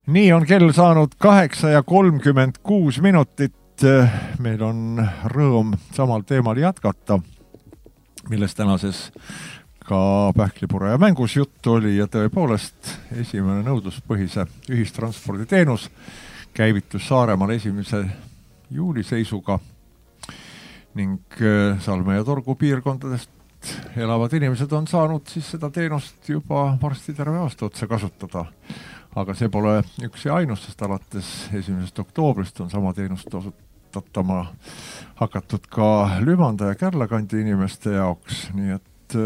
Nii on kell saanud 8:36. Meil on rõõm samal teemal jätkata, millest tänases ka Pähklipure ja mängus juttu oli ja tõepoolest esimene nõudluspõhise ühistransporditeenus käivitus Saaremaal 1. juuli seisuga ning Salme ja Torgu piirkondadest elavad inimesed on saanud siis seda teenust juba varsti terve aasta otsa kasutada. Aga see pole üks ja ainus, sest alates 1. oktoobrist on sama teenust osutatama hakatud ka Lümanda ja Kärlakandi inimeste jaoks, nii et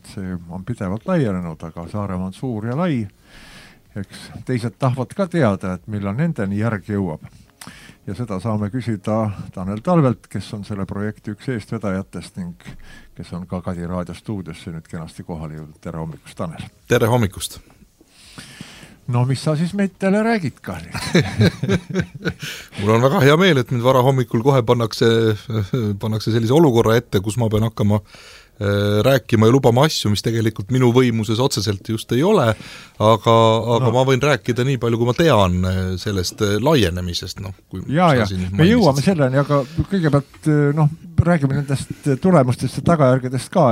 see on pidevalt laienenud, aga Saaremaa on suur ja lai. Eks teised tahavad ka teada, et millal nendeni järgi jõuab. Ja seda saame küsida Tanel Talvelt, kes on selle projekti üks eestvedajatest ning kes on ka Kadi raadio stuudiosse nüüd kenasti kohale jõudnud. Tere hommikust, Tanel! Tere hommikust! No mis sa siis meid teile räägid ka? Mul on väga hea meel, et mind vara hommikul kohe pannakse sellise olukorra ette, kus ma pean hakkama rääkima ja lubama asju, mis tegelikult minu võimuses otseselt just ei ole, aga ma võin rääkida nii palju, kui ma tean sellest laienemisest. Me jõuame selleni, aga kõigepealt räägime nendest tulemustest ja tagajärgedest ka,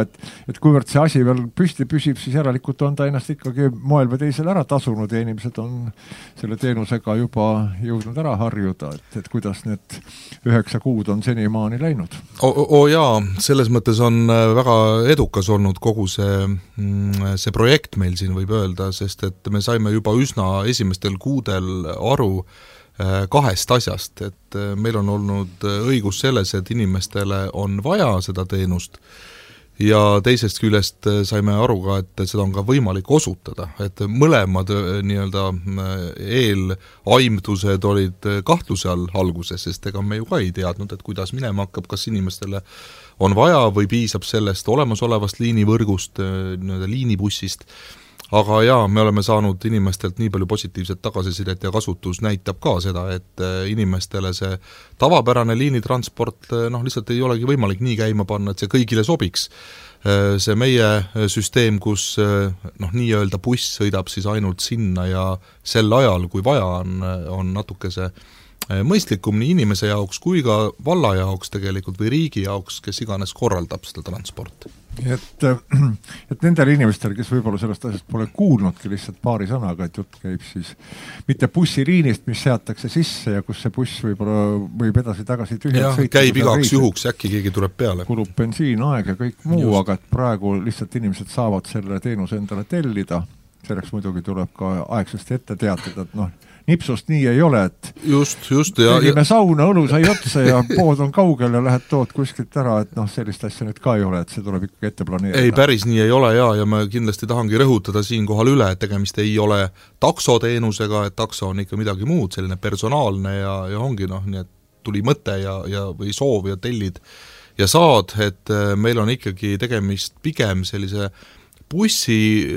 et kuivõrd see asi veel püsti püsib, siis järelikult on ta ennast ikkagi moel või teisel ära tasunud ja inimesed on selle teenusega juba jõudnud ära harjuda, et kuidas need 9 kuud on senimaani läinud. Jaa, selles mõttes on väga edukas olnud kogu see projekt meil siin võib öelda, sest et me saime juba üsna esimestel kuudel aru kahest asjast, et meil on olnud õigus selles, et inimestele on vaja seda teenust ja teisest küljest saime aru ka, et seda on ka võimalik osutada, et mõlemad nii-öelda eelaimdused olid kahtluse all alguses, sest ega me ju ka ei teadnud, et kuidas minema hakkab, kas inimestele on vaja või piisab sellest olemasolevast liinivõrgust, nii-öelda liinibussist. Aga jaa, me oleme saanud inimestelt nii palju positiivset tagasisidet ja kasutus näitab ka seda, et inimestele see tavapärane liinitransport lihtsalt ei olegi võimalik nii käima panna, et see kõigile sobiks. See meie süsteem, kus nii-öelda buss sõidab siis ainult sinna ja sel ajal, kui vaja on natuke see mõistlikum nii inimese jaoks kui ka valla jaoks tegelikult või riigi jaoks, kes iganes korraldab seda transporti. Et nendel inimestel, kes võib-olla sellest asjast pole kuulnudki lihtsalt paari sõnaga, et jutt käib siis mitte bussiliinist, mis seatakse sisse ja kus see buss võib edasi-tagasi tühjalt sõita. Käib igaks juhuks, äkki keegi tuleb peale. Kulub bensiin, aeg ja kõik muu, aga et praegu lihtsalt inimesed saavad selle teenuse endale tellida. Selleks muidugi tuleb ka aegsasti ette teatada, et nipsust nii ei ole, et tegime sauna, õlu sai otsa ja pood on kaugel ja lähed tood kuskilt ära, et sellist asja nüüd ka ei ole, et see tuleb ikkagi ette planeerida. Ei, päris nii ei ole ja ma kindlasti tahangi rõhutada siin kohal üle, et tegemist ei ole taksoteenusega, et takso on ikka midagi muud, selline personaalne ja ongi nii, et tuli mõte või soov ja tellid ja saad, et meil on ikkagi tegemist pigem sellise bussi,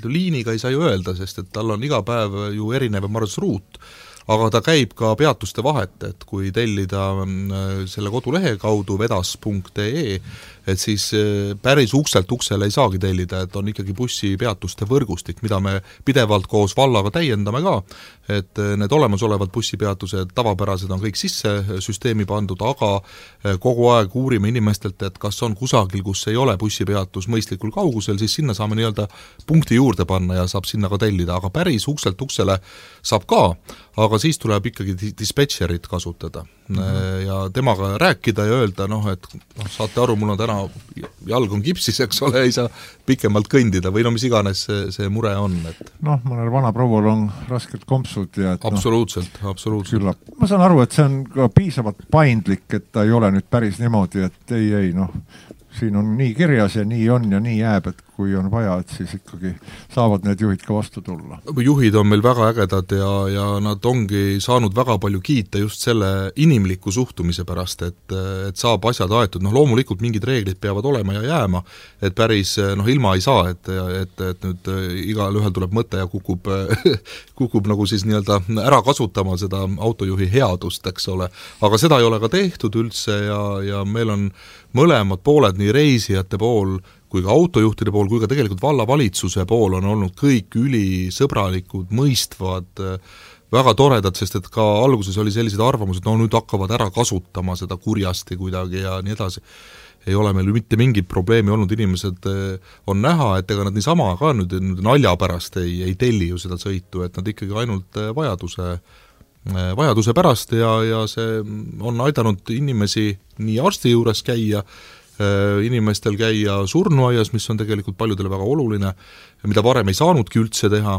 liiniga ei saa ju öelda, sest et tal on iga päev ju erinev maršruut, aga ta käib ka peatuste vahet, et kui tellida selle kodulehe kaudu vedas.ee, et siis päris ukselt uksele ei saagi tellida, et on ikkagi bussi peatuste võrgustik, mida me pidevalt koos vallaga täiendame ka, et need olemasolevad bussipeatused tavapärased on kõik sisse süsteemi pandud, aga kogu aeg uurime inimestelt, et kas on kusagil, kus ei ole bussipeatus mõistlikul kaugusel, siis sinna saame nii-öelda punkti juurde panna ja saab sinna ka tellida, aga päris ukselt uksele saab ka, aga siis tuleb ikkagi dispetšerit kasutada ja temaga rääkida ja öelda, et saate aru, mul on täna jalg on kipsis, eks ole, ei saa pikemalt kõndida või mis iganes see mure on. Mõnel vana proual on raskelt kompsud ja absoluutselt. Ma saan aru, et see on ka piisavalt paindlik, et ta ei ole nüüd päris niimoodi, et ei, siin on nii kirjas ja nii on ja nii jääb, et kui on vaja, et siis ikkagi saavad need juhid ka vastu tulla. Juhid on meil väga ägedad ja nad ongi saanud väga palju kiita just selle inimliku suhtumise pärast, et saab asjad aetud. Loomulikult mingid reeglid peavad olema ja jääma, et päris ilma ei saa, et nüüd igal ühel tuleb mõte ja kukub nagu siis nii-öelda ära kasutama seda autojuhi headust, eks ole. Aga seda ei ole ka tehtud üldse ja meil on mõlemad pooled, nii reisijate pool kui ka autojuhtide pool, kui ka tegelikult vallavalitsuse pool on olnud kõik ülisõbralikud, mõistvad, väga toredad, sest et ka alguses oli sellised arvamused, no nüüd hakkavad ära kasutama seda kurjasti kuidagi ja nii edasi. Ei ole meil mitte mingit probleemi olnud, inimesed on näha, et ega nad niisama ka nüüd nalja pärast ei telli ju seda sõitu, et nad ikkagi ainult vajaduse pärast ja see on aidanud inimesi nii arsti juures käia, inimestel käia surnuaias, mis on tegelikult paljudele väga oluline, mida varem ei saanudki üldse teha,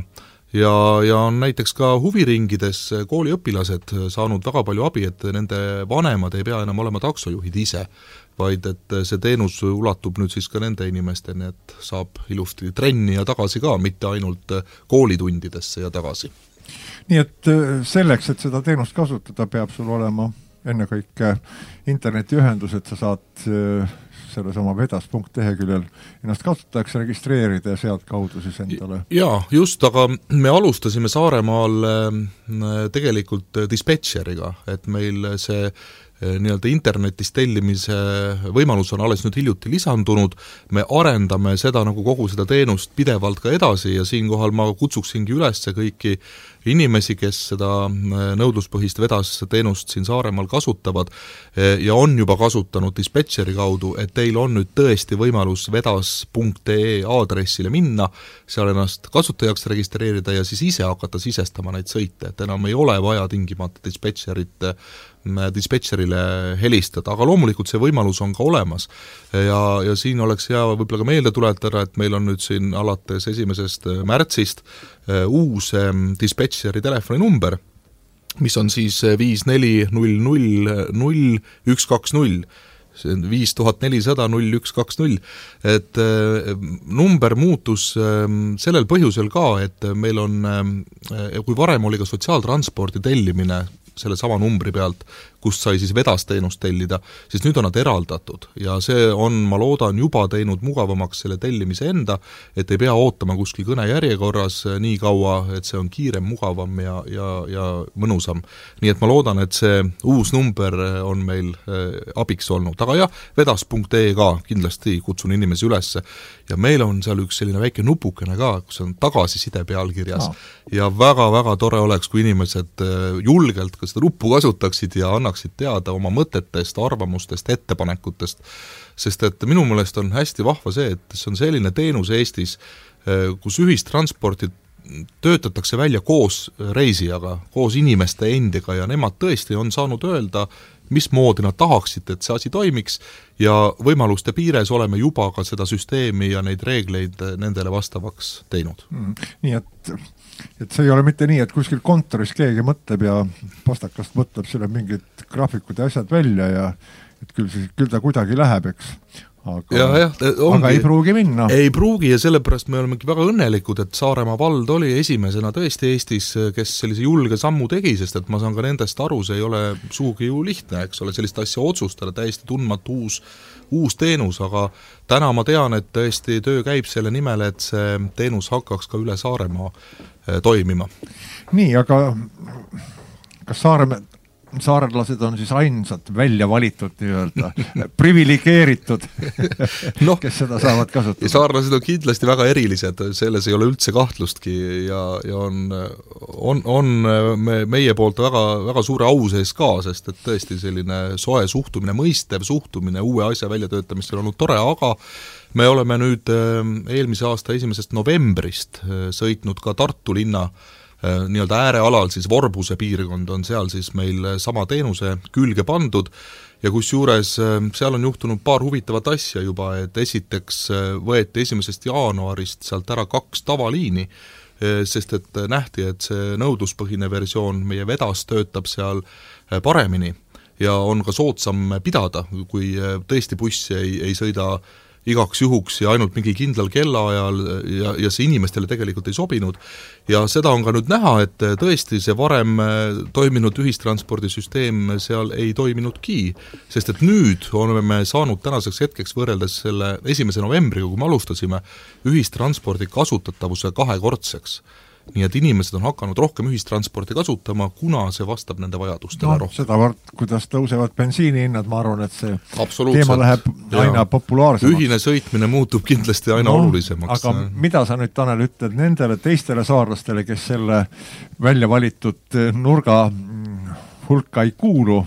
ja on näiteks ka huviringides kooliõpilased saanud väga palju abi, et nende vanemad ei pea enam olema taksojuhid ise, vaid et see teenus ulatub nüüd siis ka nende inimesteni, et saab ilusti trenni ja tagasi ka, mitte ainult koolitundidesse ja tagasi. Nii et selleks, et seda teenust kasutada, peab sul olema ennekõike internetiühendus, et sa saad selle sama vedas.leheküljel ennast kasutajaks registreerida ja sealt kaudu siis endale. Jaa, just, aga me alustasime Saaremaal tegelikult dispetšeriga, et meil see nii-öelda internetis tellimise võimalus on alles nüüd hiljuti lisandunud, me arendame seda nagu kogu seda teenust pidevalt ka edasi ja siinkohal ma kutsuksingi üles kõiki inimesi, kes seda nõudluspõhist vedas teenust siin Saaremaal kasutavad ja on juba kasutanud dispetšeri kaudu, et teil on nüüd tõesti võimalus vedas.ee aadressile minna, seal ennast kasutajaks registreerida ja siis ise hakata sisestama neid sõite, et enam ei ole vaja tingimata dispetšerile helistada, aga loomulikult see võimalus on ka olemas ja siin oleks hea võib-olla ka meelde tuletada, et meil on nüüd siin alates 1. märtsist uus dispetšeri telefoninumber, mis on siis 54000120, see on 54000120, et number muutus sellel põhjusel ka, et meil on, kui varem oli ka sotsiaaltranspordi tellimine selle sama numbri pealt, kust sai siis vedasteenust tellida, siis nüüd on nad eraldatud ja see on, ma loodan, juba teinud mugavamaks selle tellimise enda, et ei pea ootama kuskil kõnejärjekorras nii kaua, et see on kiirem, mugavam ja mõnusam. Nii et ma loodan, et see uus number on meil abiks olnud, aga jah, vedas.ee ka kindlasti kutsun inimesi üles ja meil on seal üks selline väike nupukene ka, kus on tagasiside pealkirjas ja väga-väga tore oleks, kui inimesed julgelt ka seda nuppu kasutaksid ja annaksid teada oma mõtetest, arvamustest, ettepanekutest, sest et minu meelest on hästi vahva see, et see on selline teenus Eestis, kus ühistransporti töötatakse välja koos reisijaga, koos inimeste endiga ja nemad tõesti on saanud öelda, mismoodi nad tahaksid, et see asi toimiks ja võimaluste piires oleme juba ka seda süsteemi ja neid reegleid nendele vastavaks teinud. Nii et see ei ole mitte nii, et kuskil kontoris keegi mõtleb ja pastakast mõtleb selle mingid graafikud ja asjad välja ja et küll ta kuidagi läheb, eks. Aga ei pruugi minna. Ei pruugi ja sellepärast me olemegi väga õnnelikud, et Saaremaa vald oli esimesena tõesti Eestis, kes sellise julge sammu tegi, sest et ma saan ka nendest aru, see ei ole suugi ju lihtne, eks ole, sellist asja otsustada, täiesti tundmatu uus teenus, aga täna ma tean, et tõesti töö käib selle nimel, et see teenus hakkaks ka üle Saaremaa toimima. Nii, aga kas saarlased on siis ainsad välja valitud nii-öelda, privilegeeritud, kes seda saavad kasutada? Saarlased on kindlasti väga erilised, selles ei ole üldse kahtlustki ja on meie poolt väga, väga suure au sees ka, sest et tõesti selline soe suhtumine, mõistev suhtumine uue asja väljatöötamist on olnud tore, aga me oleme nüüd eelmise aasta 1. novembrist sõitnud ka Tartu linna nii-öelda äärealal, siis Vorbuse piirkond on seal siis meil sama teenuse külge pandud ja kusjuures seal on juhtunud paar huvitavat asja juba, et esiteks võeti 1. jaanuarist sealt ära 2 tavaliini, sest et nähti, et see nõudluspõhine versioon meie vedas töötab seal paremini ja on ka soodsam pidada, kui tõesti buss ei sõida igaks juhuks ja ainult mingi kindlal kellaajal ja see inimestele tegelikult ei sobinud. Ja seda on ka nüüd näha, et tõesti see varem toiminud ühistranspordisüsteem seal ei toiminudki, sest et nüüd oleme saanud tänaseks hetkeks võrreldes selle 1. novembriga, kui me alustasime, ühistranspordi kasutatavuse 2-kordseks. nii et inimesed on hakanud rohkem ühistransporti kasutama, kuna see vastab nende vajadustele rohkem. Sedavõrd, kuidas tõusevad bensiinihinnad, ma arvan, et see teema läheb aina populaarsemaks. Ühine sõitmine muutub kindlasti aina olulisemaks. Aga mida sa nüüd, Tanel, ütled nendele teistele saarlastele, kes selle välja valitud nurga hulka ei kuulu,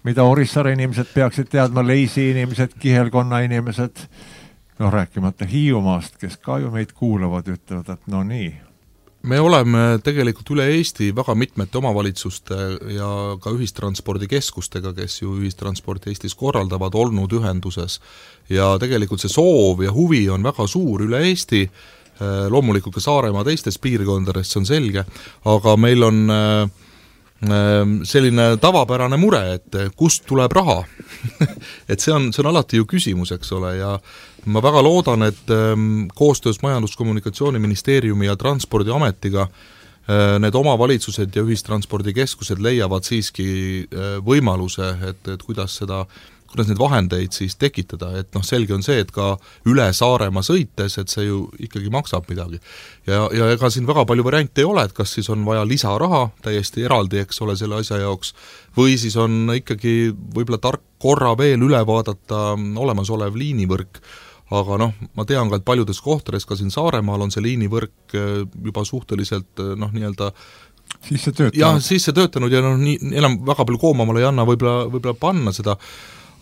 mida Orissaare inimesed peaksid teadma, Leisi inimesed, Kihelkonna inimesed, rääkimata Hiiumaast, kes ka ju meid kuulavad, ütlevad, et no nii. Me oleme tegelikult üle Eesti väga mitmete omavalitsuste ja ka ühistranspordikeskustega, kes ju ühistransporti Eestis korraldavad, olnud ühenduses. Ja tegelikult see soov ja huvi on väga suur üle Eesti, loomulikult ka Saaremaa teistes piirkondades, see on selge, aga meil on selline tavapärane mure, et kust tuleb raha. et see on alati ju küsimus, eks ole, ja ma väga loodan, et koostöös Majandus-Kommunikatsiooniministeeriumi ja Transpordiametiga need omavalitsused ja ühistranspordikeskused leiavad siiski võimaluse, et kuidas neid vahendeid siis tekitada, et selge on see, et ka üle Saaremaa sõites, et see ju ikkagi maksab midagi. Ja ega siin väga palju variante ei ole, et kas siis on vaja lisaraha täiesti eraldi, eks ole, selle asja jaoks, või siis on ikkagi võib-olla tark korra veel üle vaadata olemasolev liinivõrk, aga ma tean ka, et paljudes kohtades, ka siin Saaremaal on see liinivõrk juba suhteliselt nii-öelda sisse töötanud ja enam väga palju koomamale ei anna võib-olla panna seda,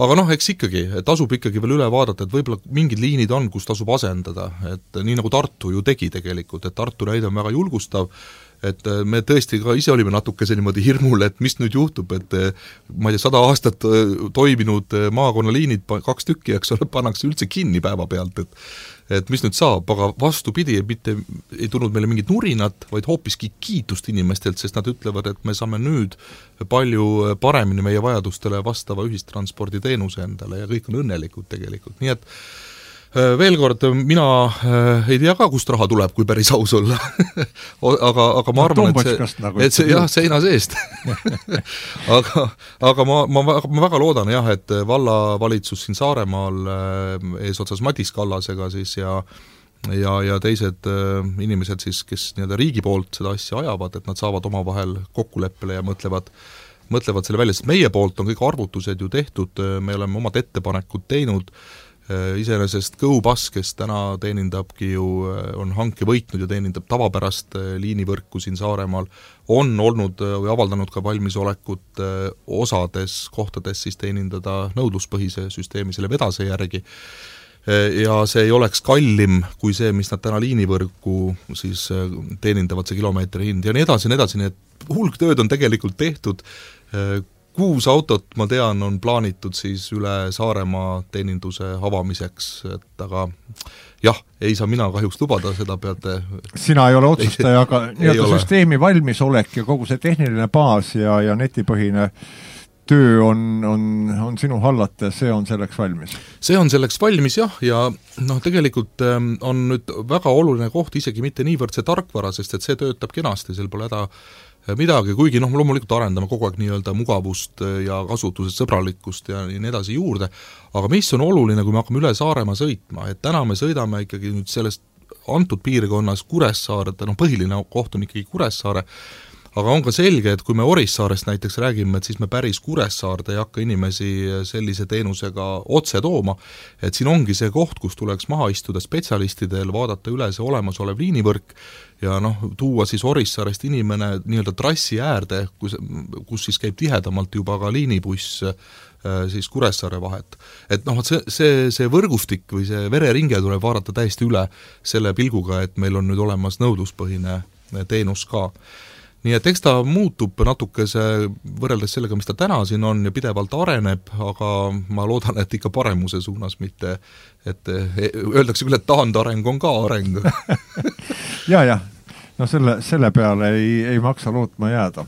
aga eks ikkagi, tasub ikkagi veel üle vaadata, et võib-olla mingid liinid on, kus tasub asendada, et nii nagu Tartu ju tegi tegelikult, et Tartu näide on väga julgustav, et me tõesti ka ise olime natukese niimoodi hirmul, et mis nüüd juhtub, et ma ei tea, 100 aastat toiminud maakonnaliinid, 2 tükki, eks ole, pannakse üldse kinni päeva pealt, et mis nüüd saab, aga vastupidi, mitte ei tulnud meile mingit nurinat, vaid hoopiski kiitust inimestelt, sest nad ütlevad, et me saame nüüd palju paremini meie vajadustele vastava ühistransporditeenuse endale ja kõik on õnnelikud tegelikult, nii et veel kord, mina ei tea ka, kust raha tuleb, kui päris aus olla. aga ma arvan, et see jah, seina seest. aga ma väga loodan jah, et vallavalitsus siin Saaremaal eesotsas Madis Kallasega siis ja teised inimesed siis, kes nii-öelda riigi poolt seda asja ajavad, et nad saavad omavahel kokkuleppele ja mõtlevad selle välja, sest meie poolt on kõik arvutused ju tehtud, me oleme omad ettepanekud teinud, iseenesest GoBus, kes täna teenindabki ju, on hanke võitnud ja teenindab tavapärast liinivõrku siin Saaremaal, on olnud või avaldanud ka valmisolekut osades kohtades siis teenindada nõudluspõhise süsteemi selle vedase järgi. Ja see ei oleks kallim kui see, mis nad täna liinivõrku siis teenindavad, see kilomeetri hind ja nii edasi, nii et hulk tööd on tegelikult tehtud, 6 autot, ma tean, on plaanitud siis üle Saaremaa teeninduse avamiseks, et aga jah, ei saa mina kahjuks lubada, seda peate... Sina ei ole otsustaja, aga nii-öelda süsteemi valmisolek ja kogu see tehniline baas ja netipõhine töö on sinu hallata, see on selleks valmis? See on selleks valmis jah, ja tegelikult on nüüd väga oluline koht isegi mitte niivõrd see tarkvara, sest et see töötab kenasti, seal pole häda midagi, kuigi loomulikult arendame kogu aeg nii-öelda mugavust ja kasutuses sõbralikkust ja nii edasi juurde, aga mis on oluline, kui me hakkame üle Saaremaa sõitma, et täna me sõidame ikkagi nüüd sellest antud piirkonnas Kuressaare, põhiline koht on ikkagi Kuressaare, aga on ka selge, et kui me Orissaarest näiteks räägime, et siis me päris Kuressaarde ei hakka inimesi sellise teenusega otse tooma, et siin ongi see koht, kus tuleks maha istuda spetsialistidel, vaadata üle see olemasolev liinivõrk ja tuua siis Orissaarest inimene nii-öelda trassi äärde, kus siis käib tihedamalt juba ka liinibuss siis Kuressaare vahet. Et see võrgustik või see vereringe tuleb vaadata täiesti üle selle pilguga, et meil on nüüd olemas nõudluspõhine teenus ka. Nii et eks ta muutub natukese võrreldes sellega, mis ta täna siin on ja pidevalt areneb, aga ma loodan, et ikka paremuse suunas, mitte et öeldakse küll, et taandareng on ka areng. ja, selle peale ei maksa lootma jääda.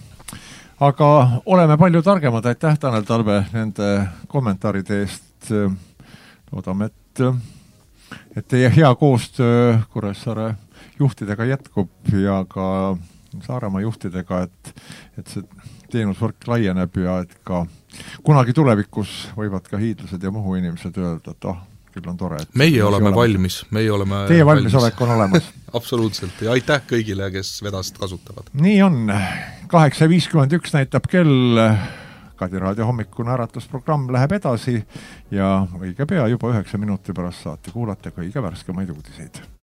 Aga oleme palju targemad, aitäh Tanel Talve nende kommentaaride eest. Loodame, et teie hea koostöö Kuressaare juhtidega jätkub ja ka Saaremaa juhtidega, et see teenusvõrk laieneb ja et ka kunagi tulevikus võivad ka hiidlased ja Muhu inimesed öelda, et küll on tore. Meie oleme valmis, meie oleme Teie valmisolek on olemas. Absoluutselt, ja aitäh kõigile, kes vedast kasutavad. Nii on, 8.51 näitab kell, Kadi Raadio hommikune äratusprogramm läheb edasi ja õige pea juba 9 minuti pärast saate kuulata kõige värskemaid uudiseid.